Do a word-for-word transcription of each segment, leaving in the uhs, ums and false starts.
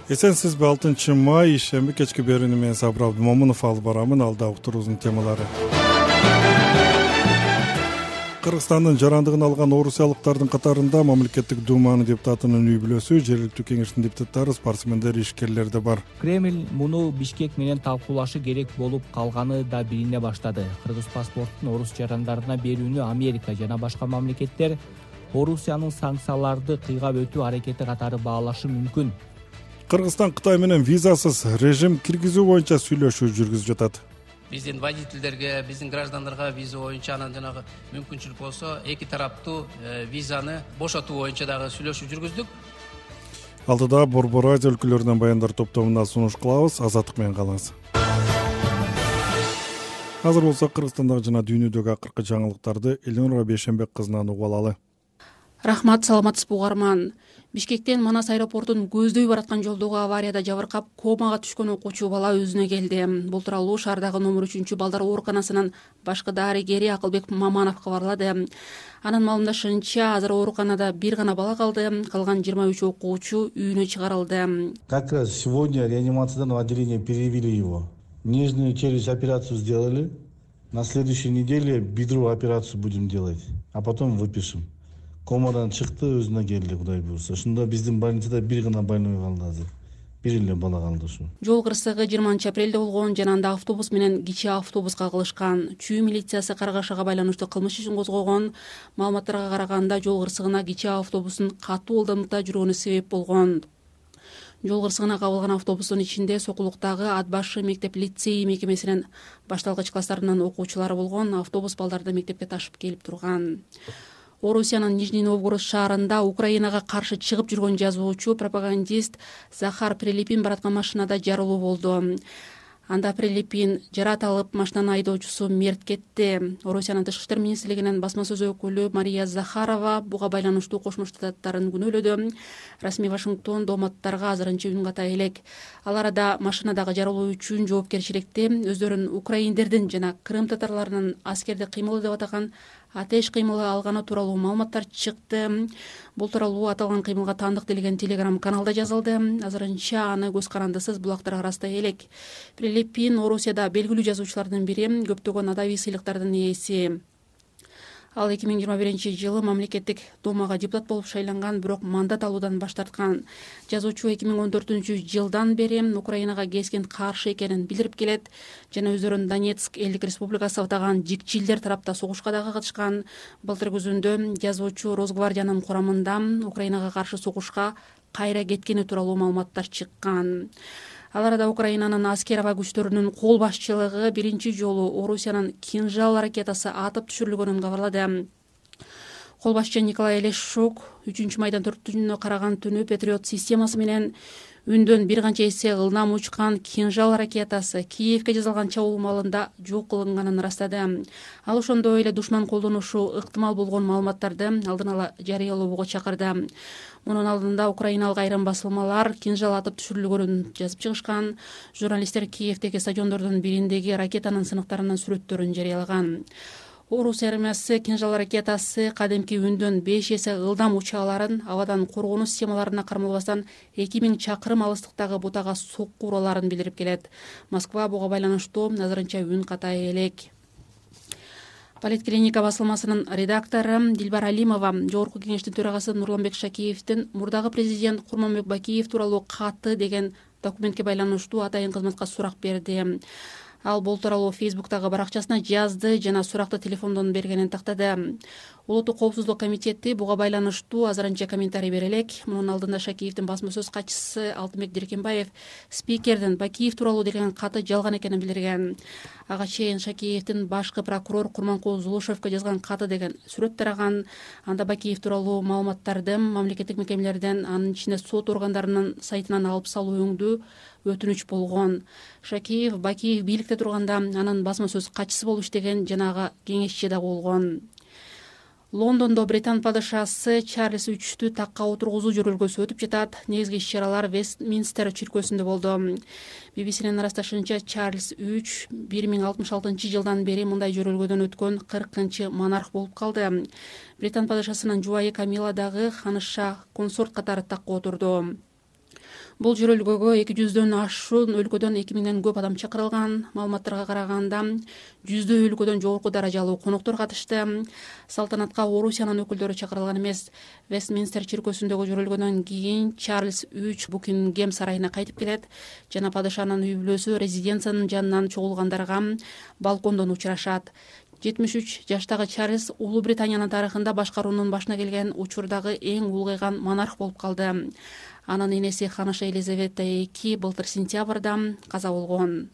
Эсенсизби? алтынчы май ишемби кечки берүүнү мен Сабыр Абдымомунов алып барамын. Алда уктуруубуздун темалары. Кыргызстандын жарандыгын алган орусиялыктардын катарында мамлекеттик думанын депутатынын үй бүлөсү, жергиликтүү кеңештин депутаттары, спортсмендер, ишкерлер да бар. Кремль муну Бишкек менен талкуулашы керек болуп калганы да билине баштады. Кыргыз паспортун орус жарандарына берүүнү Америка жана башка мамлекеттер Орусиянын санкцияларды кыйгап өтүү аракети катары баалашы мүмкүн. Кыргызстан Кытай менен визасыз режим киргизүү боюнча сүйлөшүү жүргүзүп жатат. Биздин водительдерге, биздин граждандарга виза боюнча анан жанагы мүмкүнчүлүк болсо эки тараптуу визаны бошотуу боюнча дагы сүйлөшүү жүргүздүк. Алдыда Борбор Азия өлкөлөрүнөн баяндар топтомуна сунуш кылабыз. Азаттык менен калыңыз. Азыр болсо Кыргызстандагы жана дүйнөдөгү акыркы жаңылыктарды Элнура Бейшембек кызынан угуп алалы. Рахмат, саламатсызбы угарман. Бишкектен Манас аэропортун көздөй бараткан жолдогу аварияда жабыркап комага түшкөн окуучу бала өзүнө келди. Бул тууралуу шаардагы номер үчүнчү балдар ооруканасынын башкы дарыгери Акылбек Маманов кабарлады. Анын маалымдашынча, азыр ооруканада бир гана бала калды, калган жыйырма үч окуучу үйүнө чыгарылды. Как раз сегодня реанимациядан в отделение перевели его. Нижнюю челюсть операцию сделали. На следующей неделе бедро операцию будем делать, а потом выпишем. Комадан чыкты, өзүнө келди, Кудай буйрса. Ошондо биздин больницада бир гана больной калды азыр. Бир эле бала калды ушу. Жол кырсыгы жыйырманчы апрелде болгон жана анда автобус менен кичи автобуска кагылышкан. Чүй милициясы каргашага байланыштуу кылмыш ишин козгогон. Маалыматтарга караганда жол кырсыгына кичи автобустун катуу ылдамдыкта жүргөнү себеп болгон. Жол кырсыгына кабылган автобустун ичинде Сокулуктагы Ат башы мектеп-лицей мекемесинин башталгыч класстарынын окуучулары болгон. Автобус балдарды мектепке ташып келип турган. Орусиянын Нижний Новгород шаарында Украинага каршы чыгып жүргөн жазуучу, пропагандист Захар Прилепин бараткан машинада жарылуу болду. Анда Прилепин жарат алып, машинанын айдоочусу мерт кетти. Орусиянын тышкы иштер министрлигинин басма сөз өкүлү Мария Захарова буга байланыштуу Кошмо Штаттарын күнөөлөдү. Расмий Вашингтон дооматтарга азырынча үн ката элек. Ал арада машинадагы жарылуу үчүн жоопкерчиликти өздөрүн украиндердин жана Крым татарларынын аскердик кыймылы деп атаган атеш кыймылы алганы тууралуу маалыматтар чыкты. Бул тууралуу аталган кыймылга таандык делген телеграм каналда жазылды. Азырынча аны көз карандысыз булактар арасында элек. Прилепин Орусияда белгилүү жазуучулардын бири, көптөгөн адабий сыйлыктардын ээси. Ал эки миң жыйырма биринчи жылы мамлекеттик думага депутат болуп шайланган, бирок мандат алуудан баш тарткан. Жазуучу эки миң он төртүнчү жылдан бери Украинага кескин каршы экенин билдирип келет жана өздөрүн Донецк элдик республикасы деп атаган жикчилдер тарапта согушка дагы катышкан. Былтыр күзүндө жазуучу Росгвардиянын курамында Украинага каршы согушка кайра кеткени тууралуу маалыматтар чыккан. Ал арада Украинанын аскер аба күчтөрүнүн кол башчылыгы биринчи жолу Орусиянын Кинжал ракетасы атып түшүрүлгөнүн кабарлады. Кол башчы Николай Лешук үчүнчү майдан төртүнө караган түнү Патриот системасы менен үндөн бир канча эсе ылдам учкан Кинжал ракетасы Киевке жасалган чабуул маалында жок кылынганын ырастады. Ал ошондой эле душман колдонушу ыктымал болгон маалыматтарды алдын ала жарыялоого чакырды. Мунун алдында украиналык айрым басылмалар Кинжал атып түшүрүлгөнүн жазып чыгышкан. Журналисттер Киевдеги стадиондордун бириндеги ракетанын сыныктарынын сүрөттөрүн жарыялаган. Орус армиясы Кинжал ракетасы кадимки үндөн беш эсе ылдам уча аларын абадан коргонуу системаларына кармалбастан эки миң чакырым алыстыктагы бутага сокку ураларын билдирип келет. Москва буга байланыштуу азырынча үн ката элек. Политклиника басылмасынын редактору Дилбар Алимова Жогорку кеңештин төрагасы Нурланбек Шакиевдин мурдагы президент Курманбек Бакиев тууралуу каты деген документке байланыштуу атайын кызматка сурак берди. Ал бул тууралуу Фейсбуктагы баракчасына жазды жана суракты телефондон бергенин тактады. Улуттук коопсуздук комитети буга байланыштуу азырынча комментарий бере элек. Мунун алдында Шакиевдин басма сөз катчысы Алтынбек Диркенбаев спикердин Бакиев тууралуу деген каты жалган экенин билдирген. Ага чейин Шакиевдин башкы прокурор Курманкул Зулушевке жазган каты деген сүрөт тараган. Анда Бакиев тууралуу маалыматтарды мамлекеттик мекемелерден, анын ичинде сот органдарынын сайтынан алып салуу өңдүү өтүнүч болгон. Шакиев Бакиев бийликте турганда анын басма сөз катчысы болуп иштеген жанагы кеңешчи да болгон. Лондондо Британ падышасы Чарльз үчтү такка отургузуу жөрөлгөсү өтүп жатат. Негизги иш-чаралар Вестминстер чиркөөсүндө болду. би би си-нин ырасташынча Чарльз үч бир миң алтымыш алтынчы жылдан бери мындай жөрөлгөдөн өткөн кыркынчы монарх болуп калды. Британ падышасынын жубайы Камила дагы ханыша консорт катары такка отурду. Бул жөрөлгөгө эки жүздөн ашуун өлкөдөн эки миңден көп адам чакырылган. Маалыматтарга караганда жүздөй өлкөдөн жогорку даражалуу коноктор катышты. Салтанатка Орусиянын өкүлдөрү чакырылган эмес. Вестминстер чиркөөсүндөгү жөрөлгөдөн кийин Чарльз үч Букингем сарайына кайтып келет жана падышанын үй бүлөсү резиденциянын жанынан чогулгандарга балкондон учурашат. жетимиш үч жаштагы Чарльз Улуу Британиянын тарыхында башкаруунун башына келген учурдагы эң улгайган монарх болуп калды. Анын энеси ханыша Елизавета эки былтыр сентябрда каза болгон.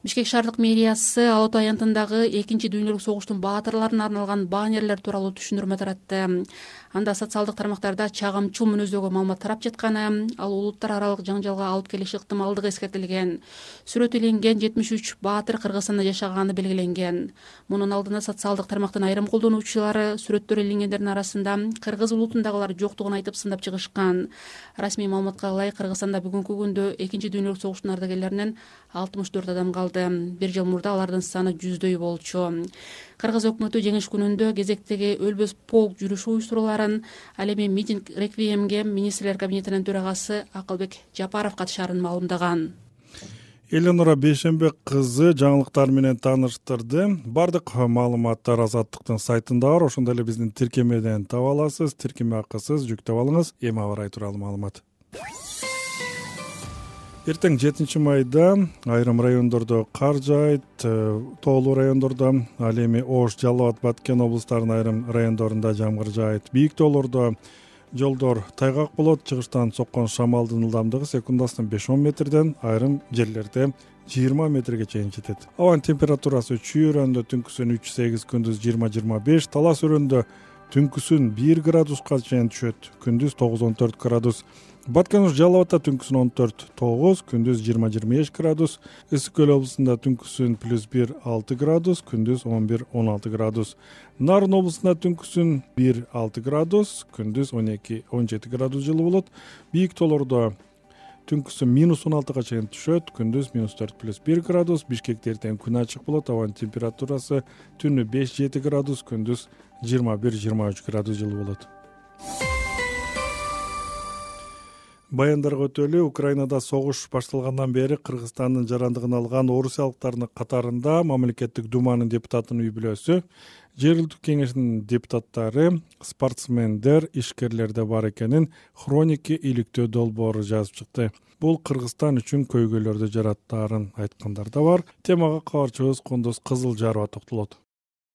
Бишкек шаардык мэриясы Ала Ата аянтындагы экинчи дүйнөлүк согуштун баатырларына арналган баннерлер тууралуу түшүндүрмө таратты. Анда социалдык тармактарда чагымчыл мүнөздөгү маалымат тарап жатканы, ал улуттар аралык жаңжалга алып келиши ыктымалдыгы эскертилген. Сүрөт иленген жетимиш үч баатыр Кыргызстанда жашаганы белгиленген. Мунун алдында социалдык тармактын айрым колдонуучулары сүрөттөр иленгендердин арасында кыргыз улутундагылар жоктугун айтып сындап чыгышкан. Расмий маалыматка ылайык Кыргызстанда бүгүнкү күндө экинчи дүйнөлүк согуштун ардагерлеринен алтымыш төрт адам калды. Бир жыл мурда алардын саны жүздөй болчу. Кыргыз өкмөтү жеңиш күнүндө кезектеги өлбөс полк жүрүшү уюштуруларын, ал эми митинг реквиемге министрлер кабинетинин төрагасы Акылбек Жапаров катышаарын маалымдаган. Эленора Бейшембек кызы жаңылыктар менен тааныштырды. Бардык маалыматтар Азаттыктын сайтында бар. Ошондой эле биздин тиркемеден таба аласыз. Тиркеме акысыз жүктөп алыңыз. Эми аба ырайы тууралуу маалымат. Эртең жетинчи майда айрым райондордо кар жаайт, тоолуу райондордо, ал эми Ош, Жалал Абад, Баткен облустарынын айрым райондорунда жамгыр жаайт. Бийик тоолордо жолдор тайгак болот. Чыгыштан соккон шамалдын ылдамдыгы секундасына беш он метрден, айрым жерлерде жыйырма метрге чейин жетет. Абанын температурасы Чүй өрөөндө түнкүсүн үч сегиз, күндүз жыйырма жыйырма беш, Талас өрөөндө түнкүсүн бир градуска чейин түшөт, күндүз тогуз он төрт градус. Баткен Жалал Абадта түнкүсүн он төрт тогуз, күндүз жыйырма жыйырма беш градус. Ысык көл облусунда түнкүсүн плюс бир алты градус, күндүз он бир он алты градус. Нарын облусунда түнкүсүн бир алты градус, күндүз он эки он жети градус жылуу болот. Бийик тоолордо түнкүсүн минус он алтыга чейин түшөт, күндүз минус төрт плюс бир градус. Бишкекте эртең күн ачык болот. Абанын температурасы түнү беш жети градус, күндүз жыйырма бир жыйырма үч градус жылуу болот. Баяндарга өтөлү. Украинада согуш башталгандан бери Кыргызстандын жарандыгын алган орусиялыктардын катарында мамлекеттик думанын депутатынын үй бүлөсү, жергиликтүү кеңештин депутаттары, спортсмендер, ишкерлер да бар экенин Хроники иликтөө долбоору жазып чыкты. Бул Кыргызстан үчүн көйгөйлөрдү жараттаарын айткандар да бар. Темага кабарчыбыз Кондос Кызылжарова токтолот.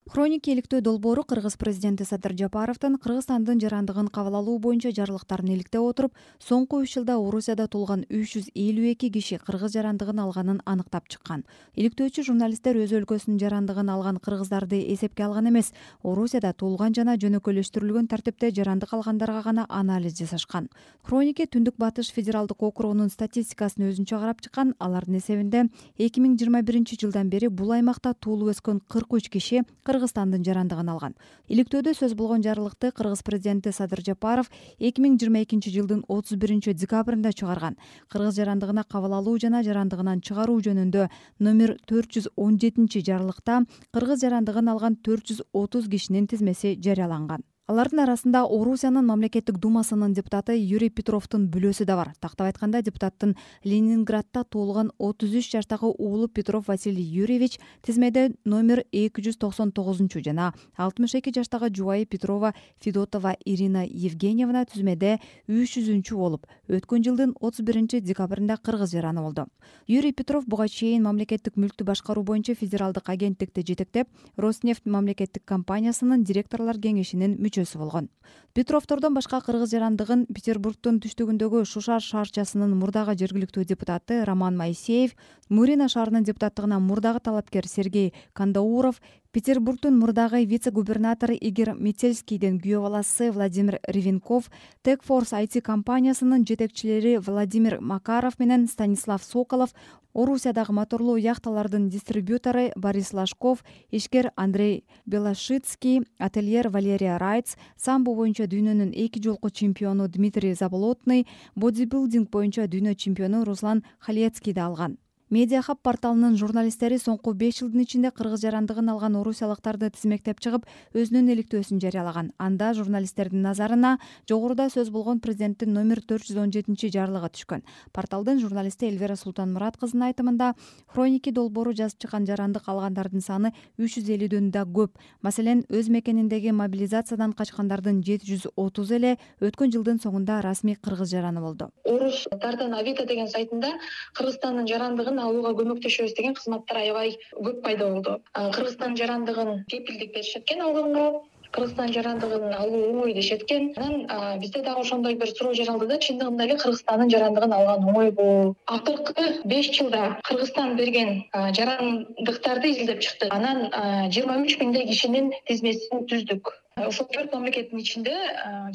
Хроники иликтөө долбоору Кыргыз президенти Садыр Жапаровдун Кыргызстандын жарандыгын кабыл алуу боюнча жарлыктарын иликтеп отуруп, соңку үч жылда Орусияда туулган үч жүз элүү эки киши кыргыз жарандыгын алганын аныктап чыккан. Иликтөөчү журналисттер өз өлкөсүнүн жарандыгын алган кыргыздарды эсепке алган эмес, Орусияда туулган жана жөнөкөйлөштүрүлгөн тартипте жарандык алгандарга гана анализ жасашкан. Хроники Түндүк Батыш федералдык округунун статистикасын өзүнчө карап чыккан. Алардын эсебинде эки миң жыйырма биринчи жылдан бери бул аймакта туулуп өскөн кырк үч киши Кыргызстандын жарандыгын алган. Иликтөөдө сөз болгон жарлыкты Кыргыз президенти Садыр Жапаров эки миң жыйырма экинчи жылдын отуз биринчи декабрында чыгарган. Кыргыз жарандыгына кабыл алуу жана жарандыгынан чыгаруу жөнүндө номер төрт жүз он жетинчи жарлыкта кыргыз жарандыгын алган төрт жүз отуз кишинин тизмеси жарыяланган. Алардын арасында Орусиянын мамлекеттик думасынын депутаты Юрий Петровдун бүлөсү да бар. Тактап айтканда, депутаттын Ленинградда туулган отуз үч жаштагы уулу Петров Василий Юрьевич тизмеде номер эки жүз токсон тогузунчу жана алтымыш эки жаштагы жубайы Петрова Федотова Ирина Евгеньевна тизмеде үч жүзүнчү болуп, өткөн жылдын отуз биринчи декабрында кыргыз жараны болду. Юрий Петров буга чейин мамлекеттик мүлктү башкаруу боюнча федералдык агенттикти жетектеп, Роснефть мамлекеттик компаниясынын директорлор кеңешинин мүчөсү болгон. Петровдордон башка кыргыз жарандыгын Петербургдун түштүгүндөгү Шушар шаарчасынын мурдагы жергиликтүү депутаты Роман Моисеев, Мурина шаарынын депутаттыгына мурдагы талапкер Сергей Кандауров, Петербургдун мурдагы вице-губернатору Игорь Метельскийдин күйөө баласы Владимир Ревенков, Techforce ай ти компаниясынын жетекчилери Владимир Макаров менен Станислав Соколов, Орусиядагы моторлуу яхталардын дистрибьютору Борис Лашков, ишкер Андрей Белошицкий, ательер Валерия Райц, самбо боюнча дүйнөнүн эки жолку чемпиону Дмитрий Заболотный, бодибилдинг боюнча дүйнө чемпиону Руслан Халецкий да алган. Медиа Хаб порталынын журналисттери соңку беш жылдын ичинде кыргыз жарандыгын алган орусиялыктарды тизмектеп чыгып, өзүнүн иликтөөсүн жарыялаган. Анда журналисттердин назарына жогоруда сөз болгон президенттин номер төрт жүз он жетинчи жарлыгы түшкөн. Порталдын журналисти Эльвира Султанмурат кызынын айтымында, хроники долбоору жазып чыккан жарандык алгандардын саны үч жүз элүүдөн да көп. Маселен, өз мекениндеги мобилизациядан качкандардын жети жүз отузу эле өткөн жылдын соңунда расмий кыргыз жараны болду. Орустардын Авито деген сайтында Кыргызстандын жарандыгын алууга көмөктөшөбүз деген кызматтар аябай көп пайда болду. Кыргызстандын жарандыгын кепилдик беришет экен алганга, Кыргызстан жарандыгын алуу оңой дешет экен. Анан бизде дагы ошондой бир суроо жаралды да, чындыгында эле Кыргызстандын жарандыгын алган оңойбу? Акыркы беш жылда Кыргызстан берген жарандыктарды изилдеп чыктык. Анан жыйырма үч миңдей кишинин тизмесин түздүк. Ошол төрт мамлекеттин ичинде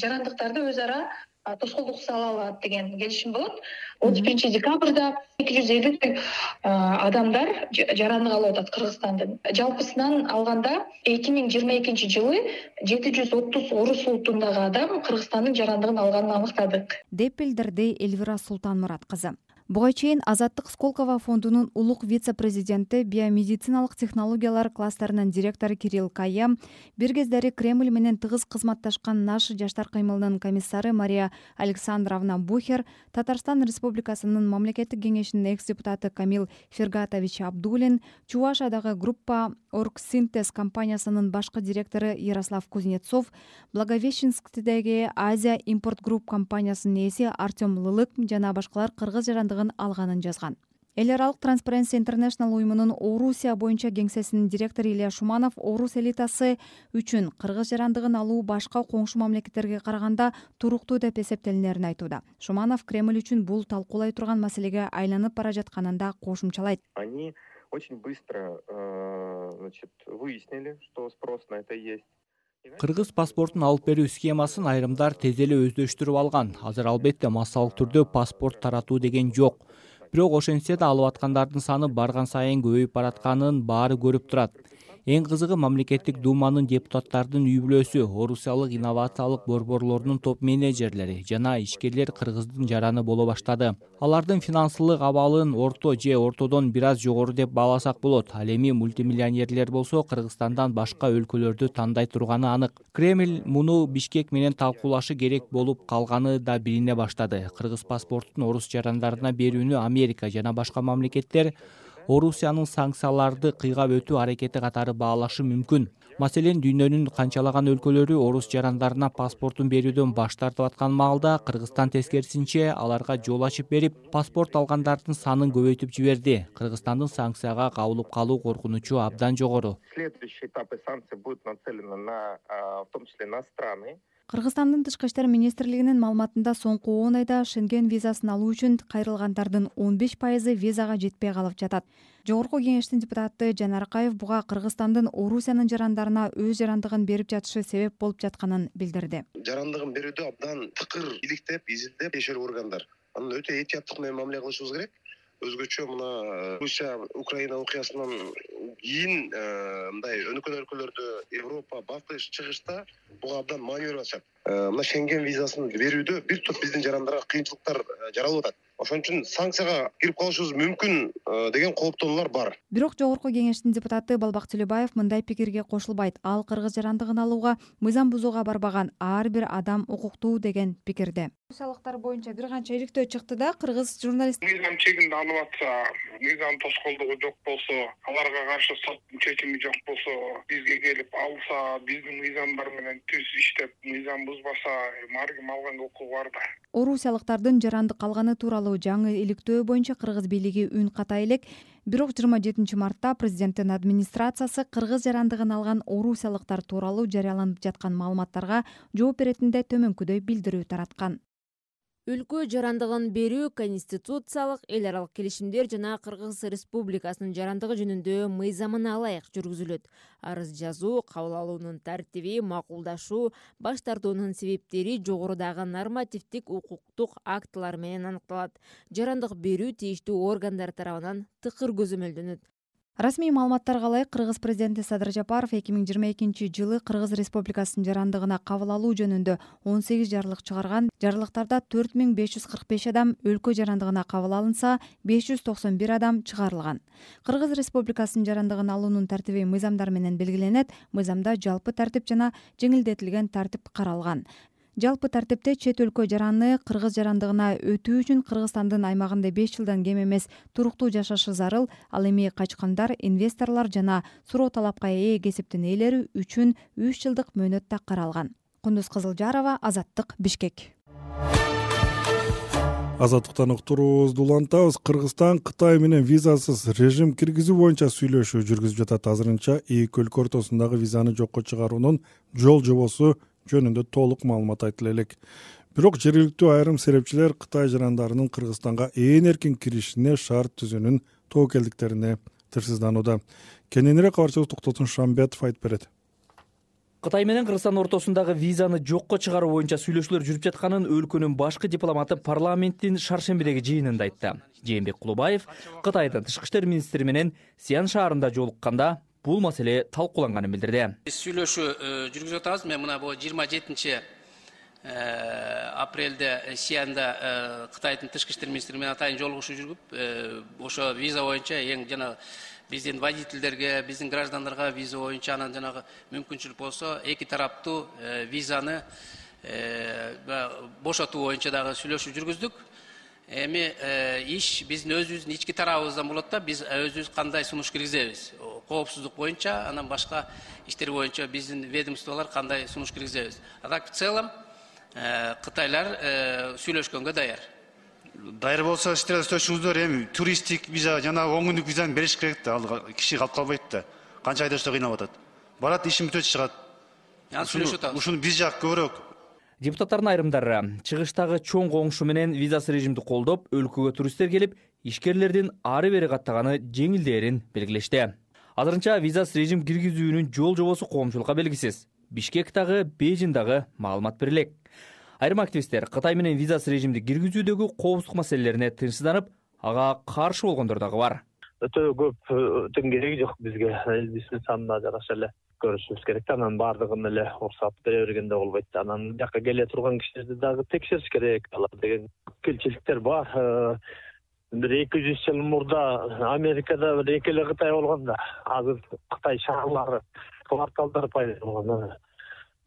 жарандыктарды өз ара тоскоолдук сала алат деген келишим болот. отуз биринчи декабрда эки жүз элүү адамдар жарандык алып атат Кыргызстандын. Жалпысынан алганда эки миң жыйырма экинчи жылы жети жүз отуз орус улутундагы адам Кыргызстандын жарандыгын алганын аныктадык, деп билдирди Эльвира Султанмурат кызы. Буга чейин Азаттык Сколково фондунун улук вице-президенти, биомедициналык технологиялар кластеринин директору Кирилл Кая, бир кездери Кремль менен тыгыз кызматташкан Наши жаштар кыймылынын комиссары Мария Александровна Бухер, Татарстан Республикасынын мамлекеттик кеңешинин экс-депутаты Камил Фергатович Абдулин, Чувашиядагы группа Оргсинтез компаниясынын башкы директору Ярослав Кузнецов, Благовещенскдеги Азия импорт групп компаниясынын ээси Артем Лылык жана башкалар кыргыз жарандыгын алганын жазган. Эл аралык Transparency International уюмунун Орусия боюнча кеңсесинин директору Илья Шуманов орус элитасы үчүн кыргыз жарандыгын алуу башка коңшу мамлекеттерге караганда туруктуу деп эсептелинерин айтууда. Шуманов Кремль үчүн бул талкуулай турган маселеге айланып бара жатканын да кошумчалайт. Они очень быстро, значит, выяснили, что спрос на это есть. Кыргыз паспортун алып берүү схемасын айрымдар тез эле өздөштүрүп алган. Азыр албетте массалык түрдө паспорт таратуу деген жок. Бирок ошентсе да алып аткандардын саны барган сайын көбөйүп баратканын баары көрүп турат. Эң кызыгы мамлекеттик думанын депутаттардын үй бүлөсү, орусиялык инновациялык борборлорунун топ менеджерлери жана ишкерлер кыргыздын жараны боло баштады. Алардын финансылык абалын орто же ортодон бир аз жогору деп бааласак болот. Ал эми мультимиллионерлер болсо Кыргызстандан башка өлкөлөрдү тандай турганы анык. Кремль муну Бишкек менен талкуулашы керек болуп калганы да билине баштады. Кыргыз паспортун орус жарандарына берүүнү Америка жана башка мамлекеттер Орусиянын санкцияларды кыйгап өтүү аракети катары баалашы мүмкүн. Маселен, дүйнөнүн канчалаган өлкөлөрү орус жарандарына паспортун берүүдөн баш тартып аткан маалда Кыргызстан тескерисинче аларга жол ачып берип, паспорт алгандардын санын көбөйтүп жиберди. Кыргызстандын санкцияга кабылып калуу коркунучу абдан жогору. Следующий этап санкций будет нацелена на, в том числе на страны. Кыргызстандын тышкы иштер министрлигинин маалыматында соңку он айда Шенген визасын алуу үчүн кайрылгандардын он беш пайызы визага жетпей калып жатат. Жогорку кеңештин депутаты Жанар Акаев буга Кыргызстандын Орусиянын жарандарына өз жарандыгын берип жатышы себеп болуп жатканын билдирди. Жарандыгын берүүдө абдан тыкыр иликтеп, изилдеп тиешелүү органдар. Анын өтө этияттык менен мамиле кылышыбыз керек. Өзгөчө мына Русия Украина окуясынан кийин мындай өнүккөн өлкөлөрдө Европа, Батыш, Чыгышта буга абдан маанилүү атышат. Мына Шенген визасын берүүдө бир топ биздин жарандарга кыйынчылыктар жаралып атат. Ошон үчүн санкцияга кирип калышыбыз мүмкүн деген кооптонуулар бар. Бирок жогорку кеңештин депутаты Балбак Төлөбаев мындай пикирге кошулбайт. Ал кыргыз жарандыгын алууга мыйзам бузууга барбаган ар бир адам укуктуу деген пикирде. Орусиялыктар боюнча бир канча иликтөө чыкты да, кыргыз журналист мыйзам чегинде алып атса, мыйзам тоскоолдугу жок болсо, аларга каршы соттун чечими жок болсо, бизге келип алса, биздин мыйзамдар менен түз иштеп, мыйзам бузбаса, ар ким алганга укугу бар да. Орусиялыктардын жарандык алганы тууралуу жаңы иликтөө боюнча кыргыз бийлиги үн ката элек. Бирок жыйырма жетинчи мартта президенттин администрациясы кыргыз жарандыгын алган орусиялыктар тууралуу жарыяланып жаткан маалыматтарга жооп беретинде төмөнкүдөй билдирүү тараткан. Өлкө жарандыгын берүү конституциялык, эл аралык келишимдер жана Кыргыз Республикасынын жарандыгы жөнүндө мыйзамына ылайык жүргүзүлөт. Арыз жазуу, кабыл алуунун тартиби, макулдашуу, баш тартуунун себептери жогорудагы нормативдик укуктук актылар менен аныкталат. Жарандык берүү тийиштүү органдар тарабынан тыкыр көзөмөлдөнөт. Расмий маалыматтарга ылайык Кыргыз президенти Садыр Жапаров эки миң жыйырма экинчи жылы Кыргыз Республикасынын жарандыгына кабыл алуу жөнүндө он сегиз жарлык чыгарган. Жарлыктарда төрт миң беш жүз кырк беш адам өлкө жарандыгына кабыл алынса, беш жүз токсон бир адам чыгарылган. Кыргыз Республикасынын жарандыгын алуунун тартиби мыйзамдар менен белгиленет. Мыйзамда жалпы тартип жана жеңилдетилген тартип каралган. Жалпы тартипте чет өлкө жараны кыргыз жарандыгына өтүү үчүн Кыргызстандын аймагында беш жылдан кем эмес туруктуу жашашы зарыл. Ал эми качкандар, инвесторлор жана суроо талапка ээ кесиптин ээлери үчүн үч жылдык мөөнөт да каралган. Кундуз Кызылжарова, Азаттык, Бишкек. Азаттыктан уктуруубузду улантабыз. Кыргызстан Кытай менен визасыз режим киргизүү боюнча сүйлөшүү жүргүзүп жатат. Азырынча эки өлкө ортосундагы визаны жокко чыгаруунун жол жобосу жөнүндө толук маалымат айтыла элек. Бирок жергиликтүү айрым серепчилер Кытай жарандарынын Кыргызстанга ээн эркин киришине шарт түзүүнүн тобокелдиктерине тырсызданууда. Кененирээк кабарчыбыз Токтотун Шамбетов айтып берет. Кытай менен Кыргызстан ортосундагы визаны жокко чыгаруу боюнча сүйлөшүүлөр жүрүп жатканын өлкөнүн башкы дипломаты парламенттин шаршембидеги жыйынында айтты. Жээнбек Кулубаев Кытайдын тышкы иштер министри менен Сиан шаарында жолукканда бул маселе талкууланганын билдирди. Сүйлөшүү жүргүзүп атабыз. Мен мына бул жыйырма жетинчи апрелде Сианда Кытайдын тышкы иштер министри менен атайын жолугушуу жүргүп, ошо виза боюнча эң жана биздин водительдерге, биздин граждандарга виза боюнча анан жанагы мүмкүнчүлүк болсо эки тараптуу визаны бошотуу боюнча дагы сүйлөшүү жүргүздүк. Эми иш биздин өзүбүздүн ички тарабыбыздан болот да, биз өзүбүз кандай сунуш киргизебиз. Коопсуздук боюнча, анан башка иштер боюнча биздин ведомстволор кандай сунуш киргизебиз. А так в целом Кытайлар сүйлөшкөнгө даяр. Даяр болсо иштер сөзүңүздөр, эми туристтик виза жана он күндүк визаны бериш керек да, ал киши калып калбайт да. Канча айдашта кыйнап атат. Барат, ишин бүтөт, чыгат. Анан сүйлөшүп атабыз. Ушуну биз жак көбүрөөк. Депутаттардын айрымдары чыгыштагы чоң коңшу менен визасыз режимди колдоп, өлкөгө туристтер келип, ишкерлердин ары бери каттаганы жеңилдээрин белгилешти. Азырынча визасыз режим киргизүүнүн жол жобосу коомчулукка белгисиз. Бишкектагы, Бейжиндагы маалымат берилек. Айрым активисттер Кытай менен визасыз режимди киргизүүдөгү коопсуздук маселелерине тынчсызданып, ага каршы болгондор дагы бар. Өтө көп өтөн кереги жок бизге. Элибиздин санына жараша эле көрүшүбүз керек. Анан бардыгын эле уруксат бере бергенде болбойт. Анан жака келе турган кишилерди дагы текшериш керек. Алар деген келчиликтер бар. Бир эки жүз жыл мурда Америкада бир эки эле Кытай болгон да. Азыр Кытай шаарлары, кварталдар пайда болгон.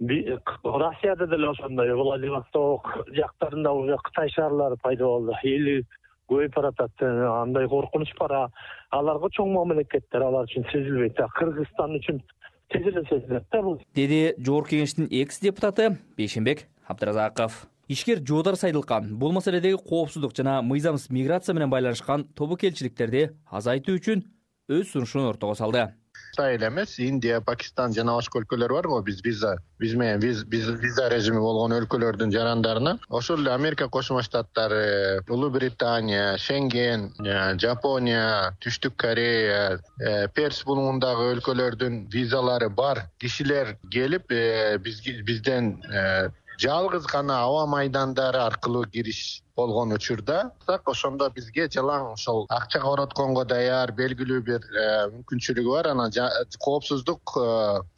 Россияда деле ошондой, Владивосток жактарында уже Кытай шаарлары пайда болду. Эли көбөйүп баратат. Андай коркунуч бар. Аларга чоң мамлекеттер, алар үчүн сезилбейт. Кыргызстан үчүн тезеле сезилет да бул. Деди Жогорку Кеңештин экс-депутаты Бейшенбек Абдыразаков. Ишкер Жоодар Сайдылкан бул маселедеги коопсуздук жана мыйзамсыз миграция менен байланышкан тобокелчиликтерди азайтуу үчүн өз сунушун ортого салды. Кытай эле эмес, Индия, Пакистан жана башка өлкөлөр бар го, биз виза, биз менен виза режими болгон өлкөлөрдүн жарандарына. Ошол эле Америка Кошмо Штаттары, Улуу Британия, Шенген, Жапония, Түштүк Корея, Перс булугундагы өлкөлөрдүн визалары бар кишилер келип, бизден жалгыз гана аба майдандары аркылуу кириш болгон учурда, так ошондо бизге жалаң ошол акча коротконго даяр белгилүү бир мүмкүнчүлүгү бар. Анан коопсуздук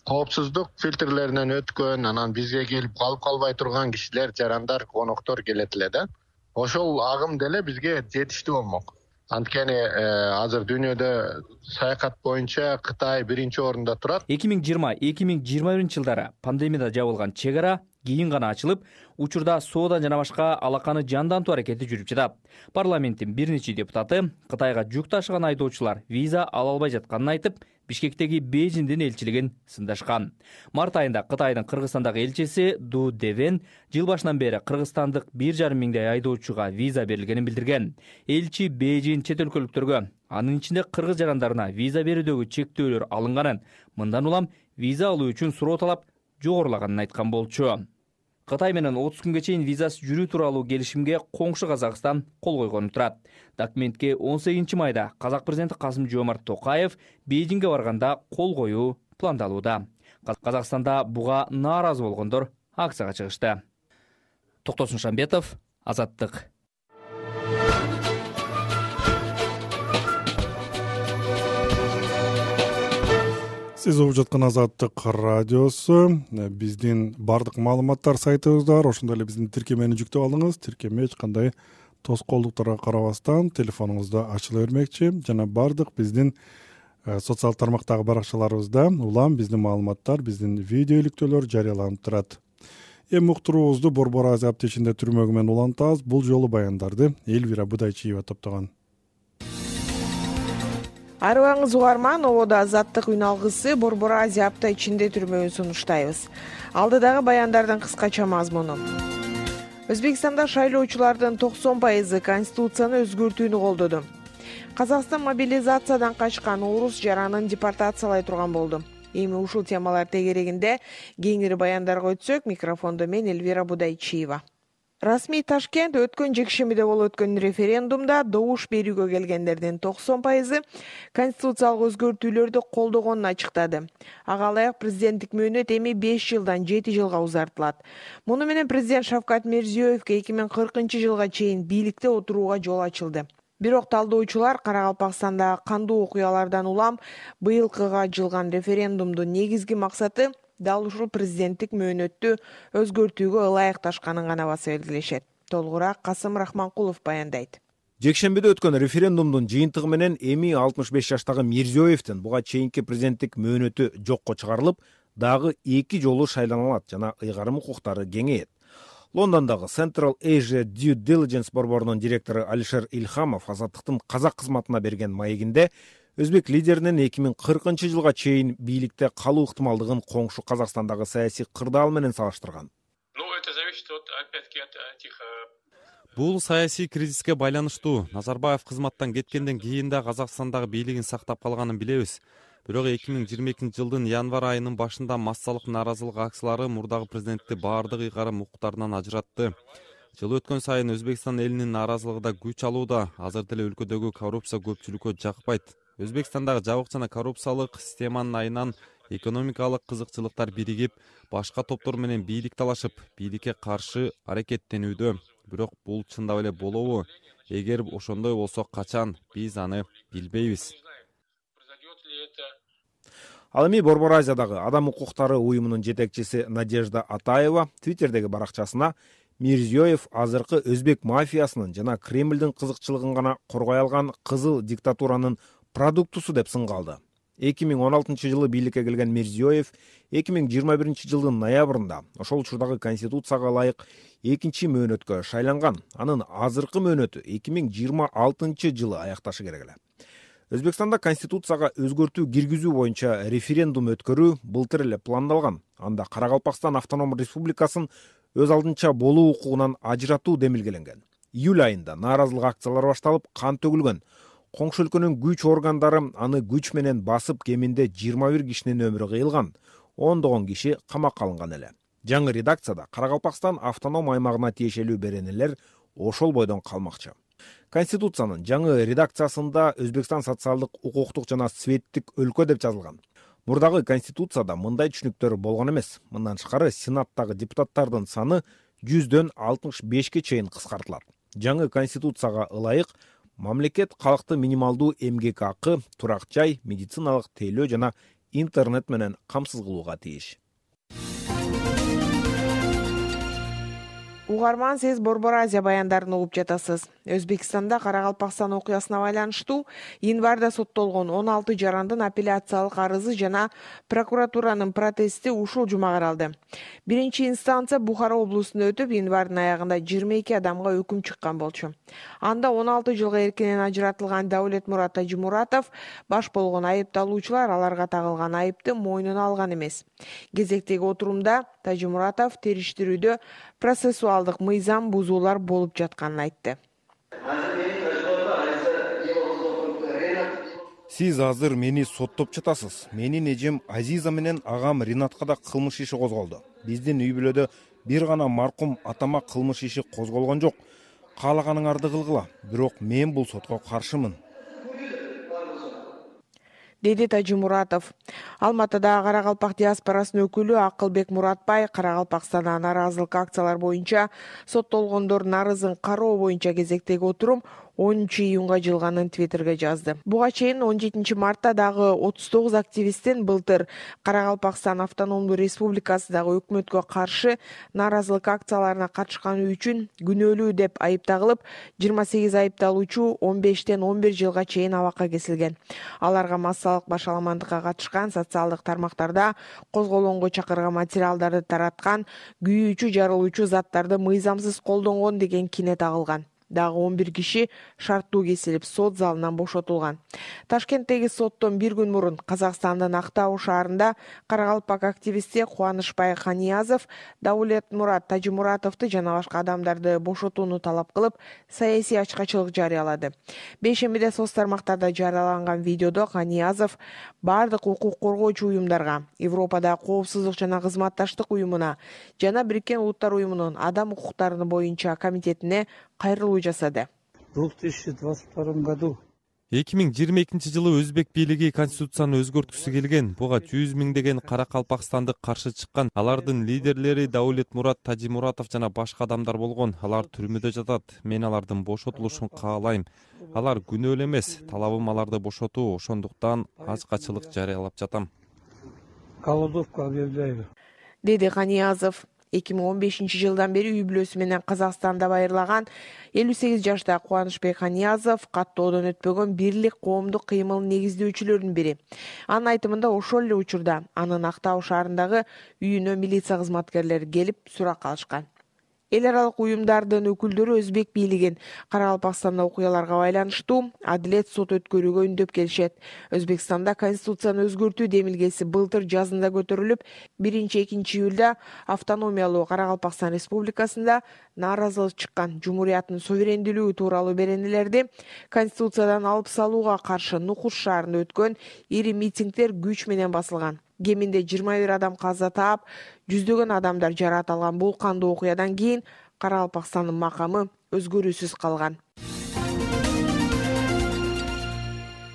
коопсуздук фильтрлеринен өткөн, анан бизге келип калып калбай турган кишилер, жарандар, коноктор келет эле да. Ошол агым деле бизге жетиштүү болмок. Анткени азыр дүйнөдө саякат боюнча Кытай биринчи орунда турат. эки миң жыйырма эки миң жыйырма биринчи жылдары пандемияда жабылган чек ара кийин гана ачылып, учурда соода жана башка алаканы жандантуу аракети жүрүп жатат. Парламенттин бир нече депутаты Кытайга жүк ташыган айдоочулар виза ала албай жатканын айтып, Бишкектеги Бейжиндин элчилигин сындашкан. Март айында Кытайдын Кыргызстандагы элчиси Ду Девен жыл башынан бери кыргызстандык бир жарым миңдей айдоочуга виза берилгенин билдирген. Элчи Бейжин чет өлкөлүктөргө, анын ичинде кыргыз жарандарына виза берүүдөгү чектөөлөр алынганын, мындан улам виза алуу үчүн суроо талап жогорулаганын айткан болчу. Кытай менен отуз күнгө чейин визасыз жүрүү тууралуу келишимге коңшу Казакстан кол койгону турат. Документке он сегизинчи майда Казак президенти Касым-Жомарт Токаев Бейжиңге барганда кол коюу пландалууда. Казакстанда буга нааразы болгондор акцияга чыгышты. Токтосун Шамбетов, Азаттык. Сиз угуп жаткан Азаттык радиосу. Биздин бардык маалыматтар сайтыбызда бар. Ошондой эле биздин тиркемени жүктөп алыңыз. Тиркеме эч кандай тоскоолдуктарга карабастан телефонуңузда ачыла бермекчи. Жана бардык биздин социал тармактагы баракчаларыбызда улам биздин маалыматтар, биздин видео иликтөөлөр жарыяланып турат. Эми уктуруубузду Борбор Азия аптечинде түрмөгү менен улантабыз. Бул жолу баяндарды Элвира Будайчиева топтогон. Арыбаңыз угарман, ободо Азаттык үн алгысы Борбор Азия апта ичинде түрмөгүн сунуштайбыз. Алдыдагы баяндардын кыскача мазмуну. Өзбекстанда шайлоочулардын токсон пайызы конституцияны өзгөртүүнү колдоду. Казакстан мобилизациядан качкан орус жаранын депортациялай турган болду. Эми ушул темалар тегерегинде кеңири баяндарга өтсөк, микрофондо мен Элвира Будайчиева. Расмий Ташкент өткөн жекшембиде болуп өткөн референдумда добуш берүүгө келгендердин токсон пайызы конституциялык өзгөртүүлөрдү колдогонун ачыктады. Ага ылайык президенттик мөөнөт эми беш жылдан жети жылга узартылат. Муну менен президент Шавкат Мирзиёевке эки миң кыркынчы жылга чейин бийликте отурууга жол ачылды. Бирок талдоочулар Каракалпакстандагы кандуу окуялардан улам быйылкыга жылган референдумдун негизги максаты дал ушул президенттик мөөнөттү өзгөртүүгө ылайыкташканын гана баса белгилешет. Толугураак Касым Рахманкулов баяндайт. Жекшембиде өткөн референдумдун жыйынтыгы менен эми алтымыш беш жаштагы Мирзиёевдин буга чейинки президенттик мөөнөтү жокко чыгарылып, дагы эки жолу шайлана алат жана ыйгарым укуктары кеңейет. Лондондогу Central Asia Due Diligence борборунун директору Алишер Илхамов Азаттыктын казак кызматына берген маегинде өзбек лидеринин эки миң кыркынчы жылга чейин бийликте калуу ыктымалдыгын коңшу Казакстандагы саясий кырдаал менен салыштырган. Бул саясий кризиске байланыштуу. Назарбаев кызматтан кеткенден кийин да Казакстандагы бийлигин сактап калганын билебиз. Бирок эки миң жыйырма экинчи жылдын январь айынын башында массалык нааразылык акциялары мурдагы президентти баардык ыйгарым укуктарынан ажыратты. Жыл өткөн сайын Өзбекстан элинин нааразылыгы да күч алууда. Азыр деле өлкөдөгү коррупция көпчүлүккө жакпайт. Өзбекстандагы жабык жана коррупциялык системанын айынан экономикалык кызыкчылыктар биригип, башка топтор менен бийлик талашып, бийликке каршы аракеттенүүдө. Бирок бул чындап эле болобу? Эгер ошондой болсо качан, биз аны билбейбиз. Ал эми Борбор Азиядагы адам укуктары уюмунун жетекчиси Надежда Атаева Твиттердеги баракчасына Мирзиёев азыркы өзбек мафиясынын жана Кремлдин кызыкчылыгын гана коргой алган кызыл диктатуранын продуктусу деп сынгалды. эки миң он алтынчы жылы бийликке келген Мирзиёев эки миң жыйырма биринчи жылдын ноябрында ошол учурдагы конституцияга ылайык экинчи мөөнөткө шайланган. Анын азыркы мөөнөтү эки миң жыйырма алтынчы жылы аякташы керек эле. Өзбекстанда конституцияга өзгөртүү киргизүү боюнча референдум өткөрүү былтыр эле пландалган. Анда Каракалпакстан автоном республикасын өз алдынча болуу укугунан ажыратуу демилгеленген. Июль айында нааразылык акциялары башталып, кан төгүлгөн. Коңшу өлкөнүн күч органдары аны күч менен басып, кеминде жыйырма бир кишинин өмүрү кыйылган, ондогон киши камакка алынган эле. Жаңы редакцияда Каракалпакстан автоном аймагына тиешелүү беренелер ошол бойдон калмакчы. Конституциянын жаңы редакциясында Өзбекстан социалдык, укуктук жана светтик өлкө деп жазылган. Мурдагы конституцияда мындай түшүнүктөр болгон эмес. Мындан тышкары Сенаттагы депутаттардын саны жүздөн алтымыш бешке чейин кыскартылат. Жаңы конституцияга ылайык мамлекет калкты минималдуу эмгек акы, турак жай, медициналык тейлөө жана интернет менен камсыз кылууга тийиш. Угарман, сиз Борбор Азия баяндарын угуп жатасыз. Өзбекстанда Каракалпакстан окуясына байланыштуу январда соттолгон он алты жарандын апелляциялык арызы жана прокуратуранын протести ушул жума каралды. Биринчи инстанция Бухара облусунда өтүп, январдын аягында жыйырма эки адамга өкүм чыккан болчу. Анда он алты жылга эркинен ажыратылган Даулетмурат Тажимуратов баш болгон айыпталуучулар аларга тагылган айыпты мойнуна алган эмес. Кезектеги отурумда Тажимуратов териштирүүдө процессуалдык мыйзам бузуулар болуп жатканын айтты. Сиз азыр мени соттоп жатасыз. Менин эжем Азиза менен агам Ринатка да кылмыш иши козголду. Биздин үй бүлөдө бир гана маркум атама кылмыш иши козголгон жок. Каалаганыңарды кылгыла. Бирок мен бул сотко каршымын, деди Тажимуратов. Алматыда Каракалпак диаспорасынын өкүлү Акылбек Муратбай Каракалпакстанда нааразылык акциялар боюнча соттолгондордун арызын кароо боюнча кезектеги отурум онунчу июнга жылганын твиттерге жазды. Буга чейин он жетинчи мартта дагы отуз тогуз активисттин былтыр Каракалпакстан автономдуу республикасындагы өкмөткө каршы нааразылык акцияларына катышканы үчүн күнөөлүү деп айыпталып, жыйырма сегиз айыпталуучу он бештен он бир жылга чейин абакка кесилген. Аларга массалык башаламандыкка катышкан, социалдык тармактарда козголоонго чакырган материалдарды тараткан, күйүүчү, жарылуучу заттарды мыйзамсыз колдонгон деген кине тагылган. Дагы он бир киши шарттуу кесилип, сот залынан бошотулган. Ташкенттеги соттон бир күн мурун Казакстандын Актау шаарында Каракалпак активисти Кубанычбай Ханиязов Даулетмурат Тажимуратовду жана башка адамдарды бошотууну талап кылып, саясий ачкачылык жарыялады. Бейшембиде соц тармактарда жарыяланган видеодо Ханиязов бардык укук коргоочу уюмдарга, Европадагы коопсуздук жана кызматташтык уюмуна жана Бириккен Улуттар уюмунун адам укуктары боюнча комитетине кайрылуу жасады. В две тысячи двадцать втором году эки миң жыйырма экинчи жылы өзбек бийлиги конституцияны өзгөрткүсү келген. Буга жүз миңдеген каракалпакстандык каршы чыккан. Алардын лидерлери Даулетмурат Тажимуратов жана башка адамдар болгон. Алар түрмөдө жатат. Мен алардын бошотулушун каалайм. Алар күнөөлүү эмес. Талабым аларды бошотуу. Ошондуктан ачкачылык жарыялап жатам. Голодовку объявляю, деди Ханиязов. эки миң он бешинчи жылдан бери үй бүлөсү менен Казакстанда байырлаган элүү сегиз жаштагы Кубанычбек Ханиязов каттоодон өтпөгөн Бирлик коомдук кыймылын негиздөөчүлөрдүн бири. Анын айтымында ошол эле учурда анын Актау шаарындагы үйүнө милиция кызматкерлери келип сурак алышкан. Эл аралык уюмдардын өкүлдөрү өзбек бийлигин Каракалпакстанда окуяларга байланыштуу адилет сот өткөрүүгө үндөп келишет. Өзбекстанда конституцияны өзгөртүү демилгеси былтыр жазында көтөрүлүп, биринчи экинчи июлда автономиялуу Каракалпакстан республикасында нааразылык чыккан. Жумурияттын суверендүүлүгү тууралуу беренелерди конституциядан алып салууга каршы Нукус шаарында өткөн ири митингдер күч менен басылган. Кеминде жыйырма бир адам каза таап, жүздөгөн адамдар жаракат алган. Бул кандуу окуядан кийин Каракалпакстандын макамы өзгөрүүсүз калган.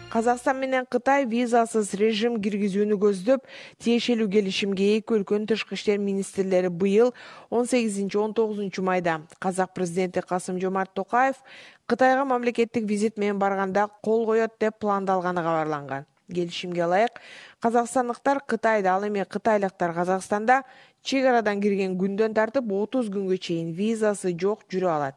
Казакстан менен Кытай визасыз режим киргизүүнү көздөп, тиешелүү келишимге эки өлкөнүн тышкы иштер министрлери быйыл он сегизинчи он тогузунчу майда Казак президенти Касым-Жомарт Токаев Кытайга мамлекеттик визит менен барганда кол коет деп пландалганы кабарланган. Келишимге ылайык, казакстандыктар Кытайда, ал эми кытайлыктар Казакстанда чек арадан кирген күндөн тартып отуз күнгө чейин визасы жок жүрө алат.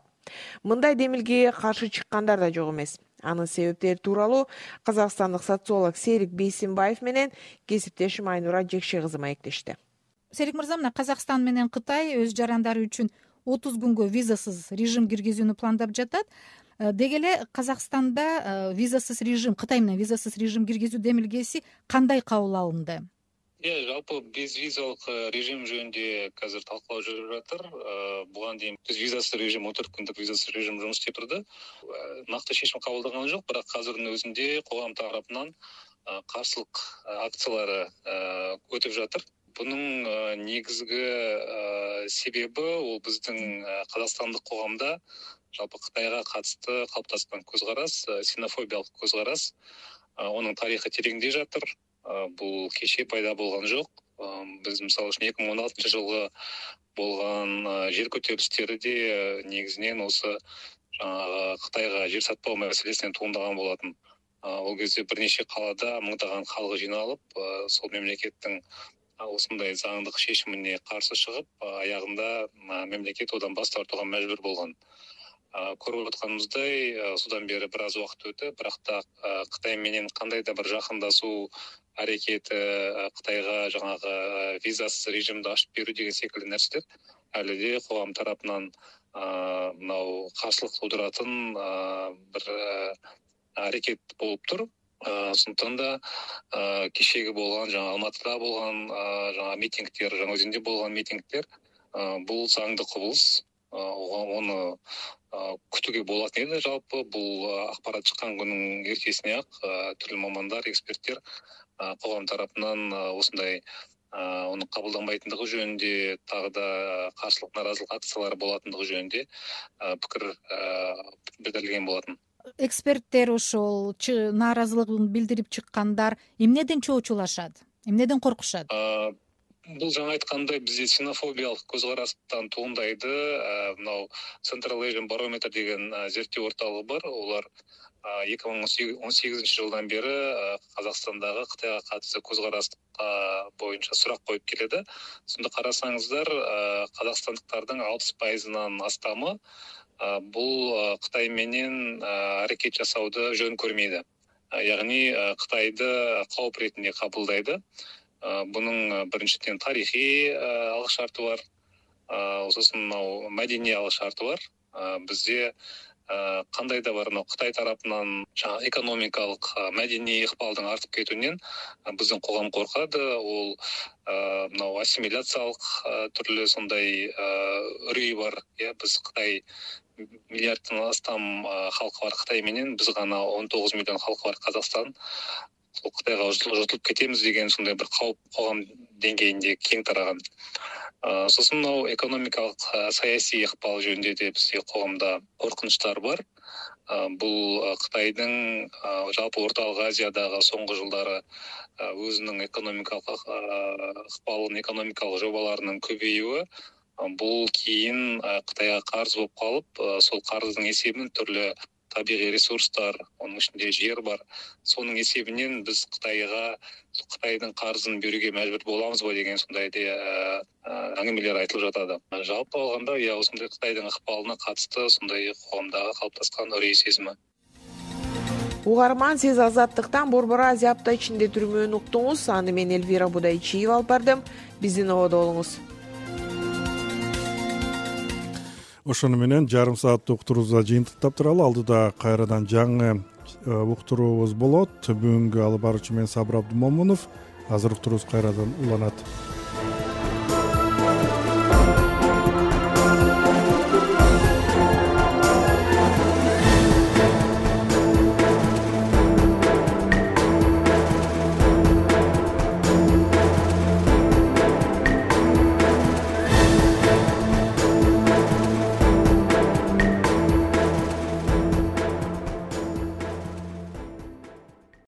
Мындай демилгеге каршы чыккандар да жок эмес. Анын себептери тууралуу казакстандык социолог Серик Бейсенбаев менен кесиптешим Айнура Жекше кызы маектешти. Серик мырза, мына Казакстан менен Кытай өз жарандары үчүн отуз күнгө визасыз режим киргизүүнү пландап жатат. Деги эле Казакстанда визасыз режим, Кытай менен визасыз режим киргизүү демилгеси кандай кабыл алынды? Э, жалпы биз визалык режим жөнүндө азыр талкуулоо жүрүп жатыр. Буга дейин биз визасыз режим, он төрт күндүк визасыз режим жумуш істеп турду. Накты чечим кабылданган жок, бирок азырдын өзүндө коом тарапынан каршылык акциялары өтүп жатыр. Бунун негизги себеби ол биздин казакстандык коомдо жалпы Кытайга катысты калыптаскан көз карас, ксенофобиялык көз карас, онун тарыхы тереңдей жатыр. Бул кечээ пайда болгон жок. Биз мисалы үчүн эки миң он алтынчы жылы болгон жер көтөрүлүштөрдө негизинен осы жанагы Кытайга жер сатпоо маселесинен туурдаган болотун. Ол кезде бир нече калаада мыңдаган халкы жиналып, сол мемлекеттин осындай заңдык шешимине каршы чыгып, аягында мемлекет одан бас тартууга мажбур болгон. Көрүп атканыбыздай, судан бери бир аз убакыт өтүп, бирок да Кытай менен кандай да бир жакындашуу аракети, Кытайга жанагы визасыз режимди ачып берүү деген секилдүү нерселер әлі де коом тарапынан мынау каршылык туудуратын бир аракет болуп тур. Ошондон да кечеги болгон, жана Алматыда болгон жана митингдер, жана өзүндө болгон митингдер бул заңдуу кубулуш. Оны күтүүгө болот еді. Жалпы бул акпарат чыккан күнүн эртесине ак түрлүү мамандар, эксперттер коом тарапынан осындай оны кабылданбайтындыгы жөнүндө, тагы да каршылык нааразылык акциялары болатындыгы жөнүндө пикир билдирилген болотун. Эксперттер ошол нааразылыгын билдирип чыккандар эмнеден чоочулашат? Эмнеден коркушат? бул жаңы айткандай бизде ксенофобиялык көз карастан туурдайды. Мынау Central Asian Barometer деген зерттөө орталыгы бар. Олар эки миң он сегизинчи жылдан бери Казакстандагы Кытайга катысты көз карашка боюнча сурак коюп келеді. Сонда карасаңыздар, казакстандыктардын алпыс пайызынан астамы бул Кытай менен аракет жасауды жөн көрмейді. Яғни Кытайды кооп ретинде кабылдайды. Бунун биринчиден тарихий алык шарты бар, сосын маданий алык шарты бар. Бизде кандай да бар, Кытай тарапынан жаңа экономикалык, маданий ыкпалдын артып кетүүнөн биздин коом коркат. Ол мынау ассимиляциялык түрлүү сондай үрүй бар. Биз Кытай миллиардтан астам халкы бар Кытай менен, биз гана он тогуз миллион халкы бар Казакстан. Кытайга жутулуп кетемиз деген сондай бир кооп коом деңгээлинде кең тараган. Сосын мынау экономикалык, саясий ыкпал жөнүндө да бизде коомдо коркунучтар бар. Бул Кытайдын жалпы Ортолук Азиядагы соңку жылдары өзүнүн экономикалык ыкпалын, экономикалык жобаларынын көбөйүүгө, бул кийин Кытайга карыз болуп калып, сол карыздын эсебинен түрлүү табигый ресурстар, анын ичинде жер бар. Сонун эсебинен биз Кытайга Кытайдын карызын берүүгө мажбур боламызбы деген сондай аңгемелер айтылып жатады. Жалпы алганда, я ошондой Кытайдын ыкпалына катысты сондай коомдогу калыптаскан үрей сезими. Угарман, сиз Азаттыктан Борбор Азия апта ичинде түрмөөнү уктуңуз. Аны мен Элвира Будайчиева алып бардым. Биздин ободо болуңуз. Ошону менен жарым сааттык уктуруубузду жыйынтыктап туралы. Алдыда кайрадан жаңы уктуруубуз болот. Бүгүнкү алып баруучу мен Сабыр Абдымомунов. Азыр уктуруубуз кайрадан уланат.